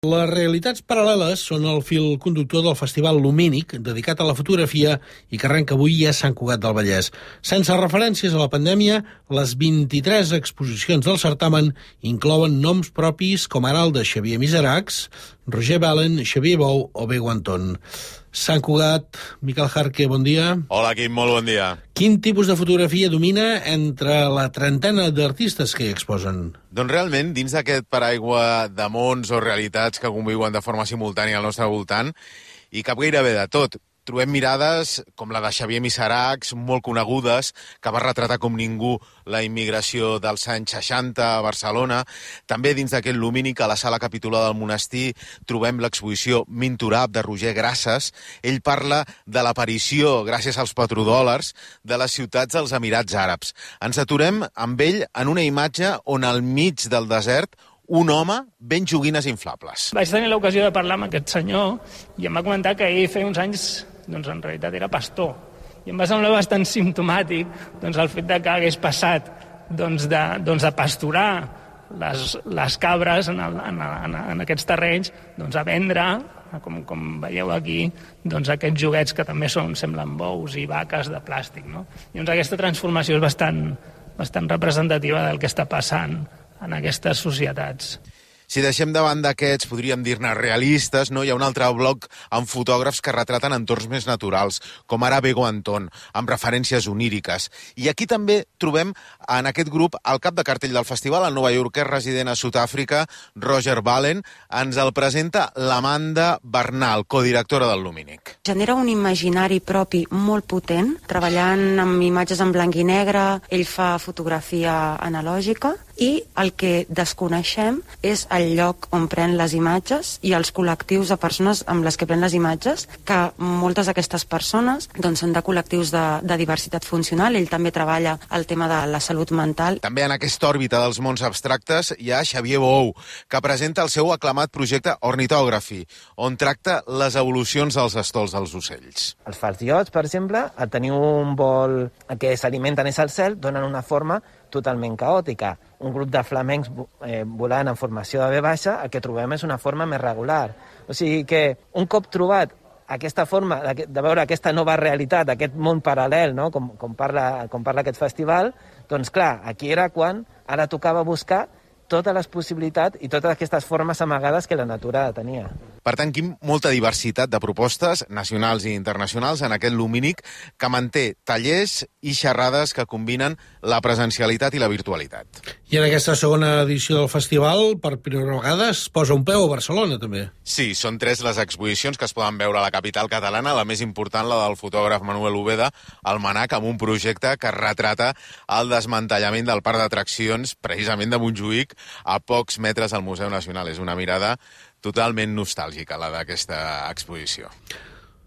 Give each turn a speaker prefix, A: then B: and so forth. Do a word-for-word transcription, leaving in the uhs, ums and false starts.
A: Les realitats paral·leles són el fil conductor del Festival Lumínic, dedicat a la fotografia i que arrenca avui a Sant Cugat del Vallès. Sense referències a la pandèmia, les vint-i-tres exposicions del certamen inclouen noms propis com ara el de Xavier Miseracs, Roger Balen, Xavier Bou o Bego Anton. Sant Cugat, Miquel Jarque, bon dia.
B: Hola, Quim, molt bon dia.
A: Quin tipus de fotografia domina entre la trentena d'artistes que hi exposen?
B: Doncs realment, dins d'aquest paraigua de mons o realitats que conviuen de forma simultània al nostre voltant, hi cap gairebé de tot. Trobem mirades com la de Xavier Miseracs, molt conegudes, que va retratar com ningú la immigració dels anys seixanta a Barcelona. També dins d'aquest Lumínic, a la sala capitular del monestir, trobem l'exposició Minturab de Roger Grasses. Ell parla de l'aparició, gràcies als petrodòlars, de les ciutats dels Emirats Àrabs. Ens aturem amb ell en una imatge on al mig del desert un home ven joguines inflables.
C: Vaig tenir l'ocasió de parlar amb aquest senyor i em va comentar que ell feia uns anys, doncs en realitat era pastor. I em va semblar bastant simptomàtic doncs, el fet de que hagués passat doncs, de, doncs, de pasturar les, les cabres en, el, en, en, en aquests terrenys doncs, a vendre, com, com veieu aquí, doncs, aquests joguets que també són, semblen bous i vaques de plàstic. No? I doncs, aquesta transformació és bastant, bastant representativa del que està passant en aquestes societats.
B: Si deixem davant d'aquests, podríem dir-ne realistes, no? Hi ha un altre bloc amb fotògrafs que retraten entorns més naturals, com ara Bego Anton, amb referències oníriques. I aquí també trobem en aquest grup el cap de cartell del festival, el novaiorquès resident a Sud-àfrica, Roger Balen. Ens el presenta l'Amanda Bernal, codirectora del Lumínic.
D: Genera un imaginari propi molt potent, treballant amb imatges en blanc i negre, ell fa fotografia analògica, i el que desconeixem és el lloc on pren les imatges i els col·lectius de persones amb les que pren les imatges, que moltes d'aquestes persones doncs, són de col·lectius de, de diversitat funcional. Ell també treballa el tema de la salut mental.
B: També en aquesta òrbita dels mons abstractes hi ha Xavier Bou, que presenta el seu aclamat projecte Ornithography, on tracta les evolucions dels estols dels ocells.
E: Els falciots, per exemple, al tenir un vol que s'alimenten és al cel, donen una forma totalment caòtica. Un grup de flamencs eh, volant en formació de ve baixa, el que trobem és una forma més regular. O sigui que un cop trobat aquesta forma de, de veure aquesta nova realitat, aquest món paral·lel, no? com, com, parla, com parla aquest festival, doncs clar, aquí era quan ara tocava buscar totes les possibilitats i totes aquestes formes amagades que la natura tenia.
B: Per tant, Quim, molta diversitat de propostes nacionals i internacionals en aquest Lumínic que manté tallers i xerrades que combinen la presencialitat i la virtualitat. I
A: en aquesta segona edició del festival, per primera vegada, es posa un peu a Barcelona, també.
B: Sí, són tres les exposicions que es poden veure a la capital catalana, la més important, la del fotògraf Manuel Ubeda, al Manac, amb un projecte que retrata el desmantellament del parc d'atraccions, precisament de Montjuïc, a pocs metres al Museu Nacional. És una mirada totalment nostàlgica, la d'aquesta exposició.